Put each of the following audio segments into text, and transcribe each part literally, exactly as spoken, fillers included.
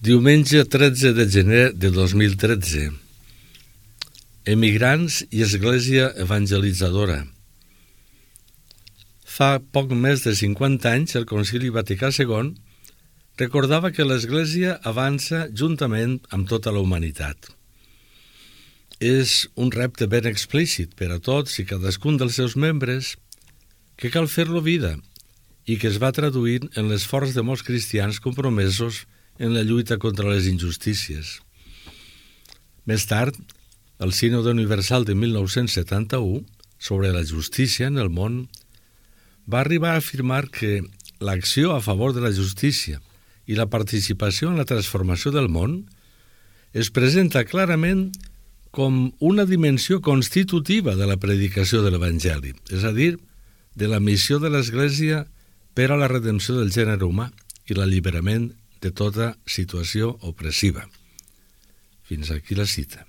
Diumenge tretze de gener de dos mil tretze. Emigrants i Església Evangelitzadora. Fa poc més de cinquanta anys el Concili Vaticà segon recordava que l'Església avança juntament amb tota la humanitat. És un repte ben explícit per a tots i cadascun dels seus membres que cal fer-lo vida i que es va traduint en l'esforç de molts cristians compromesos en la lluita contra les injustícies. Més tard, el Sínode Universal de mil nou-cents setanta-u sobre la justícia en el món va arribar a afirmar que l'acció a favor de la justícia i la participació en la transformació del món es presenta clarament com una dimensió constitutiva de la predicació de l'Evangeli, és a dir, de la missió de l'Església per a la redempció del gènere humà i l'alliberament de tota situació opressiva. Fins aquí la cita.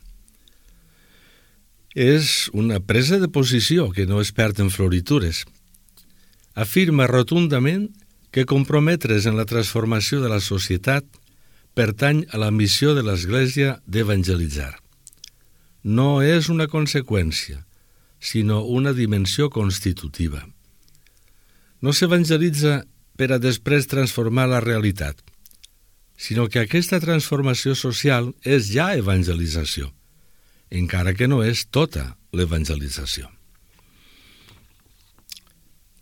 És una presa de posició que no es perd en floritures. Afirma rotundament que comprometre's en la transformació de la societat pertany a la missió de l'Església d'evangelitzar. No és una conseqüència, sinó una dimensió constitutiva. No s'evangelitza per a després transformar la realitat, sinó que aquesta transformació social és ja evangelització, encara que no és tota l'evangelització.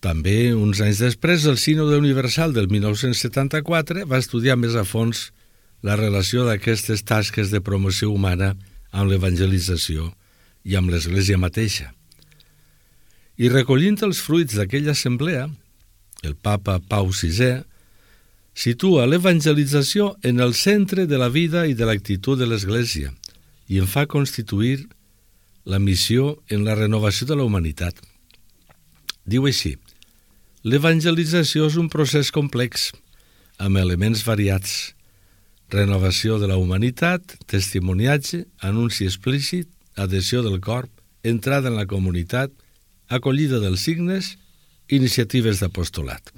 També, uns anys després, el Sínode Universal del mil nou-cents setanta-quatre va estudiar més a fons la relació d'aquestes tasques de promoció humana amb l'evangelització i amb l'Església mateixa. I recollint els fruits d'aquella assemblea, el papa Pau sisè situa l'evangelització en el centre de la vida i de l'actitud de l'Església i en fa constituir la missió en la renovació de la humanitat. Diu així: l'evangelització és un procés complex, amb elements variats: renovació de la humanitat, testimoniatge, anunci explícit, adhesió del cor, entrada en la comunitat, acollida dels signes, iniciatives d'apostolat.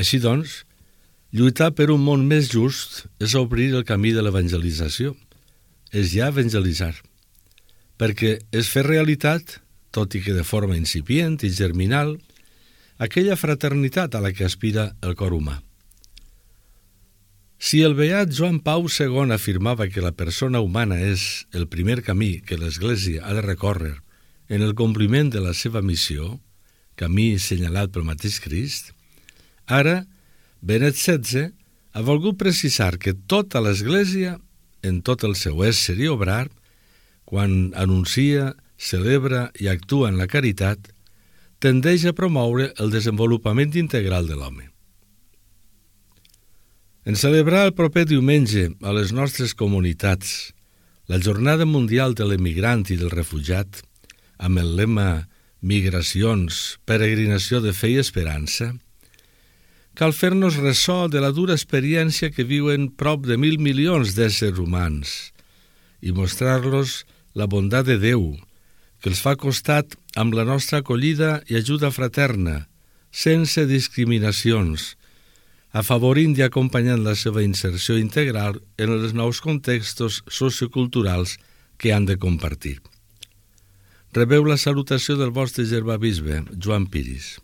Així doncs, lluitar per un món més just és obrir el camí de l'evangelització, és ja evangelitzar, perquè és fer realitat, tot i que de forma incipient i germinal, aquella fraternitat a la que aspira el cor humà. Si el beat Joan Pau segon afirmava que la persona humana és el primer camí que l'Església ha de recórrer en el compliment de la seva missió, camí senyalat pel mateix Crist, ara Benet setze ha volgut precisar que tota l'Església, en tot el seu ésser i obrar, quan anuncia, celebra i actua en la caritat, tendeix a promoure el desenvolupament integral de l'home. En celebrar el proper diumenge a les nostres comunitats la Jornada Mundial de l'Emigrant i del Refugiat, amb el lema Migracions, peregrinació de fe i esperança, cal fer-nos ressò de la dura experiència que viuen prop de mil milions d'éssers humans i mostrar-los la bondat de Déu, que els fa costat amb la nostra acollida i ajuda fraterna, sense discriminacions, afavorint i acompanyant la seva inserció integral en els nous contextos socioculturals que han de compartir. Rebeu la salutació del vostre germà bisbe, Joan Piris.